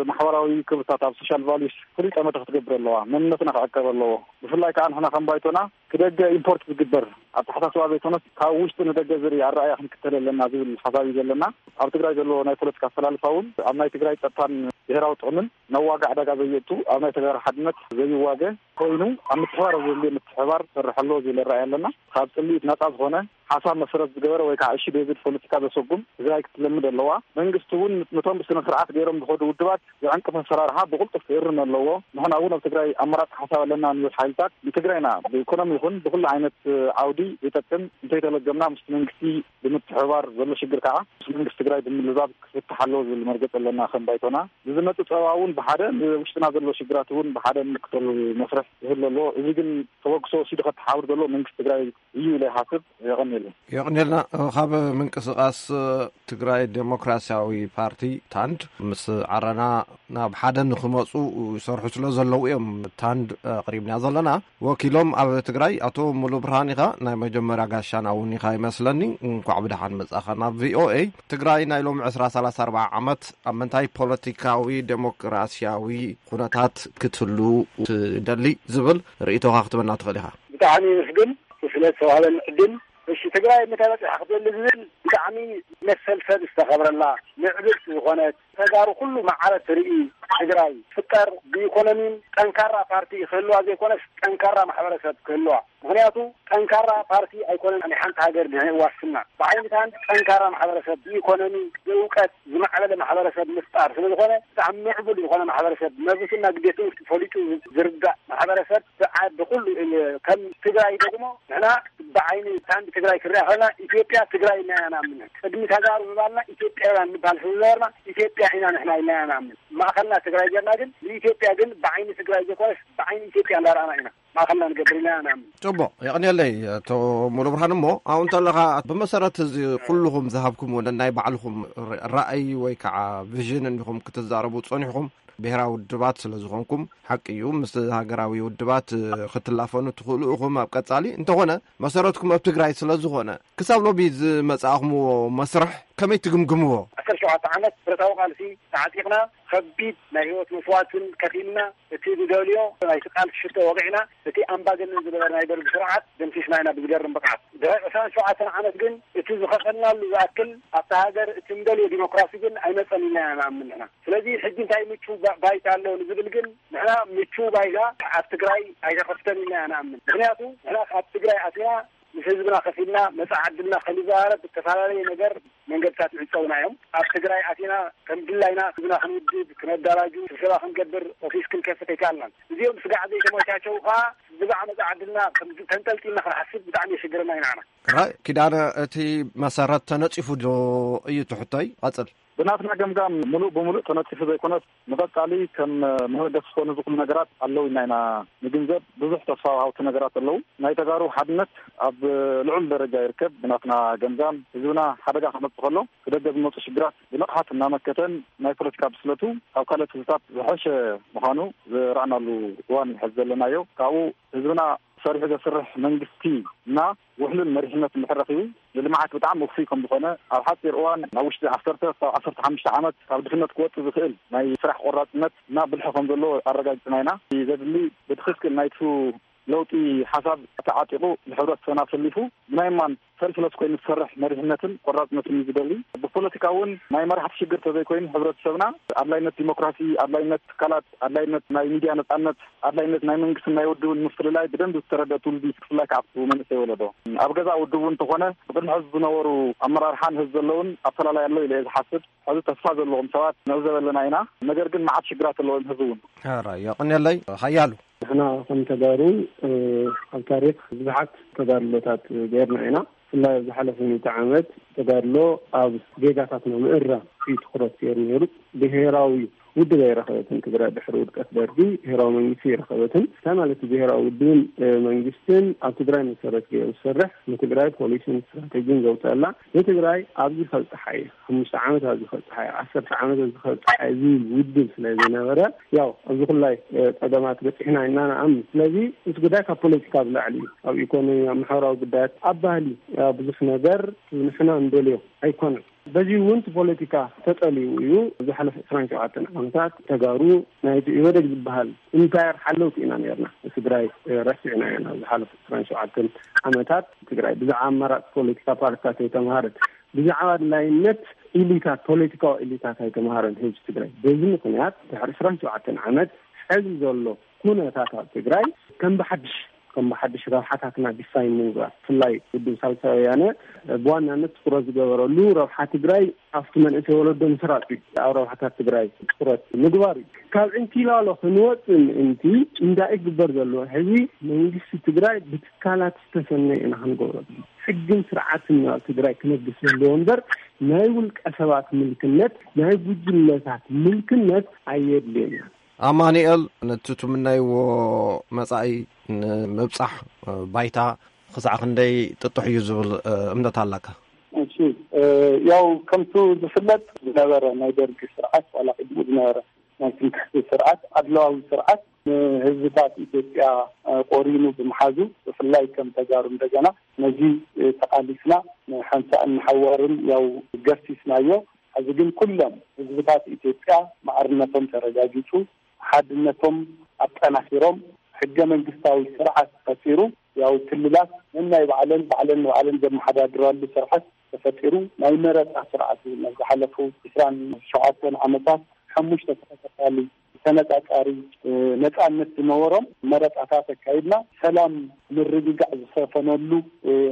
ማሕበራዊ ክብርታት፣ ኣብ ሶሻል ቫሉስ ፍሉይ ጠመተ ክትገብር ኣለዋ። መንነትና ክዕቀብ ኣለዎ። ብፍላይ ከዓ ንሕና ከም ባይቶና፣ ክደገ ኢምፖርት ዝግበር ኣተሓሳስባ ዘይኮነስ፣ ካብ ውሽጢ ንደገ ዝርኢ ኣረኣእያ ክንክተል ኣለና ዝብል ሓሳብ እዩ ዘለና። ኣብ ትግራይ ዘሎ ናይ ፖለቲካ ኣሰላልፋ እውን ኣብ ናይ ትግራይ ጸጥታን ብሔራዊ ጥቕምን ነዋጋ ዕዳጋ ዘየእቱ፣ ኣብ ናይ ተጋሩ ሓድነት ዘይዋገ ኮይኑ፣ ኣብ ምትሕባር ኣብ ዘድልዮ ምትሕባር ክሰርሕ ኣለዎ ዝብል ራእይ ኣለና። ካብ ጽልኢት ነጻ ዝኾነ፣ ሓሳብ መሰረት ዝገበረ ወይ ከዓ እሺ ቤዝድ ፖለቲካ ዘሰጉም ትግራይ ክትለምድ ኣለዋ። መንግስቲ እውን ነቶም ብስነ ስርዓት ገይሮም ዝኸዱ ውድባት ዝዕንቅፍ ኣሰራርሓ ብቕልጡፍ ክእርም ኣለዎ። ንሕና እውን ኣብ ትግራይ ኣማራፂ ሓሳብ ኣለና ንብል ሓይልታት፣ ንትግራይና ብኢኮኖሚ ይኹን ብኩሉ ዓይነት ዓውዲ ዝጠቅም እንተይተለገምና፣ ምስቲ መንግስቲ ብምትሕብባር፣ ዘሎ ሽግር ከዓ ምስ መንግስቲ ትግራይ ብምልዛብ ክፍታሕ ኣለዎ ዝብል መርገፂ ኣለና ከም ባይቶና። ንዝመፅእ ፀባ እውን ብሓደ፣ ንውሽጥና ዘሎ ሽግራት እውን ብሓደ ንምክተሉ መስርሕ ይህሉ ኣለዎ። እዚ ግን ተበግሶ ወሲዱ ከተሓብር ዘለዎ መንግስቲ ትግራይ እዩ ኢለ ይሓስብ። የቐንየለይ። የቐንየልና። ካብ ምንቅስቃስ ትግራይ ዴሞክራሲያዊ ፓርቲ፣ ታንድ፣ ምስ ዓረና ናብ ሓደ ንክመፁ ይሰርሑ ስለ ዘለዉ እዮም ታንድ ኣቕሪብና ዘለና። ወኪሎም ኣብ ትግራይ ኣቶ ሙሉ ብርሃን ኢኻ፣ ናይ መጀመርያ ጋሻና እውን ኢኻ ይመስለኒ። እንኳዕ ብደሓን መጻኻ ናብ ቪኦኤ። ትግራይ ናይ ሎም ዕስራ ሰላሳ ኣርባዓ ዓመት ኣብ ምንታይ ፖለቲካዊ ዴሞክራሲያዊ ኩነታት ክትህሉ ትደሊ ዝብል ርእይቶኻ ክትበና ትኽእል ኢኻ። ብጣዕሚ ይምስግን ስለ ዝተዋህበኒ ዕድል። እሺ፣ ትግራይ ምተበፅሐ ክትደሊ ዝብል ብጣዕሚ መሰል ሰብ ዝተኸብረላ፣ ምዕብልቲ ዝኾነት፣ ተጋሩ ኩሉ ማዕረ ትርኢ ትግራይ ትፍጠር፣ ብኢኮኖሚን ጠንካራ ፓርቲ ክህልዋ ዘይኮነስ፣ ጠንካራ ማሕበረሰብ ክህልዋ። ምኽንያቱ ጠንካራ ፓርቲ ኣይኮነን ናይ ሓንቲ ሃገር ድሕን ዋስትና። ብዓይነታን ጠንካራ ማሕበረሰብ፣ ብኢኮኖሚ፣ ብእውቀት ዝማዕበለ ማሕበረሰብ ምፍጣር ስለ ዝኾነ፣ ብጣዕሚ ምዕቡል ዝኾነ ማሕበረሰብ፣ መብቱና ግዴትኡ ፈሊጡ ዝርዳእ ማሕበረሰብ፣ ብዓ-፣ ብኩሉ፣ ከም ትግራይ ደግሞ ንሕና ብዓይኒ ታንድ ትግራይ ክንሪኣ ከለና፣ ኢትዮጵያ ትግራይ ኢና ኢና ንኣምን። ቅድሚ ተጋሩ ምባልና ኢትዮጵያውያን ንባል ስለ ዝነበርና፣ ኢትዮጵያ ኢና ንሕና ኢልና ኢና ንኣምን። ማእኸልና ትግራይ ጌርና ግን፣ ንኢትዮጵያ ግን ብዓይኒ ትግራይ ዘይኮነስ፣ ብዓይኒ ኢትዮጵያ እንዳረኣና ኢና ማእኸልና ንገብር ኢልና ኢና ንኣምን። ጽቡቕ፣ የቕንየለይ ኣቶ ሙሉ ብርሃን። እሞ ኣብኡ እንተለኻ፣ ብመሰረት እዚ ኩልኹም ዝሃብኩምዎ ነናይ ባዕልኹም ር-፣ ራእይ ወይ ከዓ ቪዥን እንዲኹም ክትዛረቡ ጸኒሕኹም፣ ብሔራዊ ውድባት ስለ ዝኾንኩም፣ ሓቂ እዩ፣ ምስ ሃገራዊ ውድባት ክትላፈኑ ትኽእሉ ኢኹም ኣብ ቀጻሊ። እንተኾነ፣ መሰረትኩም ኣብ ትግራይ ስለ ዝኾነ፣ ክሳብ ሎሚ ዝመጻእኹምዎ መስርሕ ከመይ ትግምግምዎ? ዓሰርተ ሸውዓተ ዓመት ብረታዊ ቃልሲ ተዓጢቕና፣ ከቢድ ናይ ህይወት መስዋዕትን ከፊልና፣ እቲ ዝደልዮ ናይቲ ቃልሲ ሽቶ ወቒዕና፣ እቲ ኣምባገነን ዝነበረ ናይ ደርጊ ስርዓት ደምሲስና ኢና ብዝገርም ብቕዓት። ድሕሪ ዕስራን ሸውዓተን ዓመት ግን እቲ ዝኸፈልናሉ ዝኣክል ኣብታ ሃገር እቲ ንደልዮ ዲሞክራሲ ግን ኣይመጸን ኢልና ኢና ንኣምን ንሕና። ስለዚ ሕጂ እንታይ ምቹው ባ-፣ ባይታ ኣሎ ንዝብል ግን ንሕና ምቹው ባይታ ኣብ ትግራይ ኣይተኸፍተን ኢልና ኢና ንኣምን። ምኽንያቱ ንሕና ካብ ትግራይ ኣትና ምስ ህዝብና ከፊልና መጻኢ ዕድልና ከይንዘራረብ ብተፈላለየ ነገር መንገድታት ይዕጸውና እዮም። ኣብ ትግራይ ኣቲና ከም ድላይና ህዝብና ክንውድብ፣ ክነዳራጁ፣ ስብሰባ ክንገብር ኦፊስ ክንከፍት ኣይከኣልናን። እዚኦም ስጋዕ ዘይተመቻቸው ከኣ ብዛዕባ መጻኢ ዕድልና ከም ተንጠልጢልና ክንሓስብ ብጣዕሚ የሽግረና እዩ ንዓና። ራይ ኪዳነ፣ እቲ መሰረት ተነጺፉ ዶ እዩ ትሕቶይ? ቀጽል። ብናትና ገምጋም ምሉእ ብምሉእ ተነጺፉ ዘይኮነስ ንቐጻሊ ከም መበገሲ ዝኾኑ ዝኽእሉ ነገራት ኣለዉ ኢልና ኢና ንግንዘብ። ብዙሕ ተስፋ ወሃብቲ ነገራት ኣለዉ። ናይ ተጋሩ ሓድነት ኣብ ልዑል ደረጃ ይርከብ። ብናትና ገምጋም ህዝብና ሓደጋ ክመጽእ ከሎ ብደገ ዝመጹ ሽግራት ብንቕሓት እናመከተን ናይ ፖለቲካ ብስለቱ ካብ ካልኦት ህዝብታት ዝሐሸ ምዃኑ ዝረኣናሉ እዋን እዩ ሐዚ ዘለናዮ። ካብኡ ህዝብና ሰሪሑ ዘስርሕ መንግስቲ እና ውሕሉል መሪሕነት እንድሕር ረኺቡ ንልምዓት ብጣዕሚ ውፉይ ከም ዝኾነ፣ ኣብ ሓፂር እዋን ናብ ውሽጢ ዓሰርተ ክሳብ ዓሰርተ ሓሙሽተ ዓመት ካብ ድኽነት ክወፅእ ዝኽእል ናይ ስራሕ ቆራፅነት እና ብልሒ ከም ዘለዎ ኣረጋጊፅና ኢና። ዘድሊ ብትኽክል ናይቱ ለውጢ ሓሳብ ተዓጢቑ ንሕብረተሰብና ኣሰሊፉ ብናይ እማን ሰልፍለስ ኮይኑ ዝሰርሕ መሪሕነትን ቆራፅነትን እዩ ዝደሊ። ብፖለቲካ እውን ናይ መራሕቲ ሽግር ተዘይኮይኑ ሕብረተሰብና ኣድላይነት ዲሞክራሲ፣ ኣድላይነት ትካላት፣ ኣድላይነት ናይ ሚድያ ነፃነት፣ ኣድላይነት ናይ መንግስትን ናይ ውድብን ምፍልላይ ብደንቢ ዝተረደ ትውልዲ፣ ብፍላይ ከዓ ኣብቲ መንእሰይ ወለዶ ኣብ ገዛ ውድቡ እንተኾነ ብቅድሚ ሕዚ ዝነበሩ ኣመራርሓን ህዝቢ ዘለውን ኣፈላላይ ኣሎ ኢለ እየ ዝሓስብ። ሕዚ ተስፋ ዘለዎም ሰባት ንዕዘብ ኣለና ኢና። ነገር ግን መዓት ሽግራት ኣለዎም ህዝቢ እውን። ሕራይ የቕንየለይ ሓያሉ። ንሕና ከም ተጋሩ ኣብ ታሪኽ ብዙሓት ተጋድሎታት ገይርና ኢና። ብፍላይ ኣብ ዝሓለፈ ሚእቲ ዓመት ተጋድሎ ኣብ ጌጋታትና ምእራም እዩ ትኹረት ገይሩ ነይሩ። ብሄራዊ ውድብ ኣይረኸበትን ትግራይ። ድሕሪ ውድቀት ደርጊ ብሄራዊ መንግስቲ ኣይረኸበትን። እንታይ ማለት እዩ ብሄራዊ ውድብን መንግስትን? ኣብ ትግራይ መሰረት ገይሩ ዝሰርሕ፣ ንትግራይ ፖሊሲን ስትራተጂን ዘውፀላ፣ ንትግራይ ኣብዚ ከብፅሓ እየ፣ ሓሙሽተ ዓመት ኣብዚ ከብፅሓ እየ፣ ዓሰርተ ዓመት ኣብዚ ከብፅሓ እየ ዝብል ውድብ ስለ ዝነበረ፣ ያው ኣብዚ ኩላይ ፀገማት በፂሕና ኢና ንኣምን። ስለዚ እቲ ጉዳይ ካብ ፖለቲካ ብላዕሊ እዩ። ኣብ ኢኮኖሚ፣ ኣብ ማሕበራዊ ጉዳያት፣ ኣብ ባህሊ፣ ኣብ ብዙሕ ነገር ንሕና እንደልዮ ኣይኮነን። በዚ እውን እቲ ፖለቲካ ተጠሊዩ እዩ። ዝሓለፈ ዕስራን ሸውዓተን ዓመታት ተጋሩ ናይቲ ኢህወደግ ዝበሃል ኢምፓየር ሓለውቲ ኢና ነርና። ትግራይ ረሲዕና ኢና። ዝሓለፈ ዕስራን ሸውዓተን ዓመታት ትግራይ ብዛዕባ ኣማራፂ ፖለቲካ ፓርቲታት ኣይተምሃረት። ብዛዕባ ኣድላይነት ኢሊታት፣ ፖለቲካዊ ኢሊታት ኣይተምሃረን ህዝቢ ትግራይ። በዚ ምክንያት ድሕሪ ዕስራን ሸውዓተን ዓመት ሕዚ ዘሎ ኩነታት ኣብ ትግራይ ከም ብሓድሽ ከም ብሓድሽ ረብሓታትና ዲፋይን ንምግባር፣ ብፍላይ ውድብ ሳልሳይ ወያነ ብዋናነት ትኩረት ዝገበረሉ ረብሓ ትግራይ ኣብቲ መንእሰይ ወለዶ ምስራጥ እዩ። ኣብ ረብሓታት ትግራይ ትኩረት ምግባር እዩ። ካብ ዕንኪላሎ ክንወፅእ ምእንቲ እንዳይ ግበር ዘለዎ ሕዚ መንግስቲ ትግራይ ብትካላት ዝተሰነየ ኢና ክንገብሮ። ሕግን ስርዓትን ኣብ ትግራይ ክነግስ ዘለዎ እምበር ናይ ውልቀ ሰባት ምልክነት፣ ናይ ጉጅለታት ምልክነት ኣየድልየና። ኣማኑኤል፣ ነቲ ትምነይዎ መጻኢ ንምብጻሕ ባይታ ክሳዕ ክንደይ ጥጡሕ እዩ ዝብል እምነት ኣለካ? እሺ፣ ያው ከምቱ ዝፍለጥ ዝነበረ ናይ ደርጊ ስርዓት ዋላ ቅድሙ ዝነበረ ናይ ትምክሕቲ ስርዓት ኣድለዋዊ ስርዓት ንህዝብታት ኢትዮጵያ ቆሪኑ ብምሓዙ ብፍላይ ከም ተጋሩ እንደገና ነዚ ተቓሊስና ንሓንሳእን ንሓዋርን ያው ገሲስናዮ። ሕዚ ግን ኩሎም ህዝብታት ኢትዮጵያ ማዕርነቶም ተረጋጊጹ፣ ሓድነቶም ኣጠናኺሮም፣ ሕገ መንግስታዊ ስርዓት ተፈጢሩ፣ ያው ክልላት ነናይ ባዕለን ባዕለን ንባዕለን ዘመሓዳድራሉ ስርዓት ተፈጢሩ፣ ናይ መረፃ ስርዓት እውን ኣብ ዝሓለፉ ዕስራን ሸውዓተን ዓመታት ሓሙሽተ ተኸታታሊ ተነጻጻሪ ነጻነት ዝነበሮም መረጻታት ኣካይድና ሰላም ምርግጋዕ ዝሰፈነሉ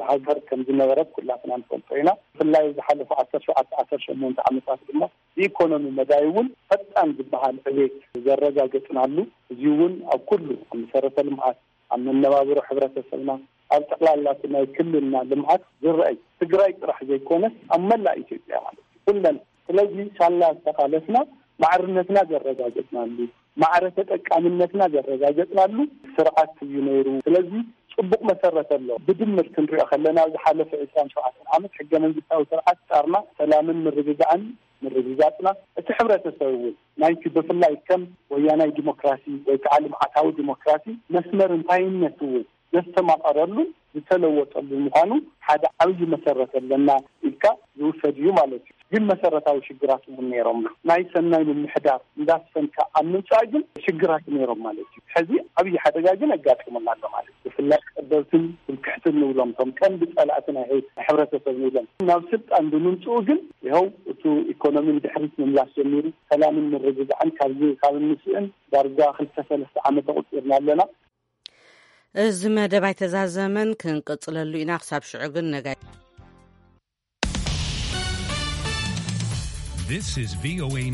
ሃገር ከም ዝነበረት ኩላትና ንፈልጦ ኢና። ብፍላይ ዝሓለፉ ዓሰርተ ሸውዓተ ዓሰርተ ሸሞንተ ዓመታት ድማ ብኢኮኖሚ መዳይ እውን ፈጣን ዝበሃል ዕቤት ዘረጋገጽናሉ፣ እዚ እውን ኣብ ኩሉ ኣብ መሰረተ ልምዓት፣ ኣብ መነባብሮ ሕብረተሰብና፣ ኣብ ጠቕላላ እቲ ናይ ክልልና ልምዓት ዝረኣይ ትግራይ ጥራሕ ዘይኮነስ ኣብ መላእ ኢትዮጵያ ማለት እዩ ኩለን። ስለዚ ሳላ ዝተቓለስና ማዕርነትና ዘረጋገጽናሉ፣ ማዕረ ተጠቃምነትና ዘረጋገጽናሉ ስርዓት እዩ ነይሩ። ስለዚ ጽቡቕ መሰረት ኣሎ። ብድምር ክንሪኦ ከለና ዝሓለፈ ዕስራን ሸውዓተን ዓመት ሕገ መንግስታዊ ስርዓት ጻርና ሰላምን ምርግጋዕን ምርግጋጽና፣ እቲ ሕብረተሰብ እውን ናይቲ ብፍላይ ከም ወያናይ ዲሞክራሲ ወይ ከዓ ልምዓታዊ ዲሞክራሲ መስመር እንታይነት እውን ዘስተማቐረሉን ዝተለወጠሉ ምዃኑ ሓደ ዓብዪ መሰረት ኣለና ኢልካ ዝውሰድ እዩ ማለት እዩ። ግን መሰረታዊ ሽግራት እውን ነይሮምና። ናይ ሰናይ ምምሕዳር እንዳስፈንካ ኣብ ምምፃእ ግን ሽግራት ነይሮም ማለት እዩ። ሕዚ ዓብዪ ሓደጋ ግን ኣጋጢሙና ኣሎ ማለት እዩ። ብፍላይ ቀደልትን ትምክሕትን ንብሎም፣ እቶም ቀንዲ ፀላእቲ ናይ ህዝቢ፣ ናይ ሕብረተሰብ ንብሎም፣ ናብ ስልጣን ብምምፅኡ ግን ይኸው እቲ ኢኮኖሚ ንድሕሪት ምምላስ ጀሚሩ፣ ሰላምን ምርግጋዕን ካብዚ ካብ እንስእን ዳርጋ ክልተ ሰለስተ ዓመት ኣቑፂርና ኣለና። እዚ መደብ ኣይተዛዘመን፣ ክንቅጽለሉ ኢና። ክሳብ ሽዑ ግን ነጋይ። This is V O A News.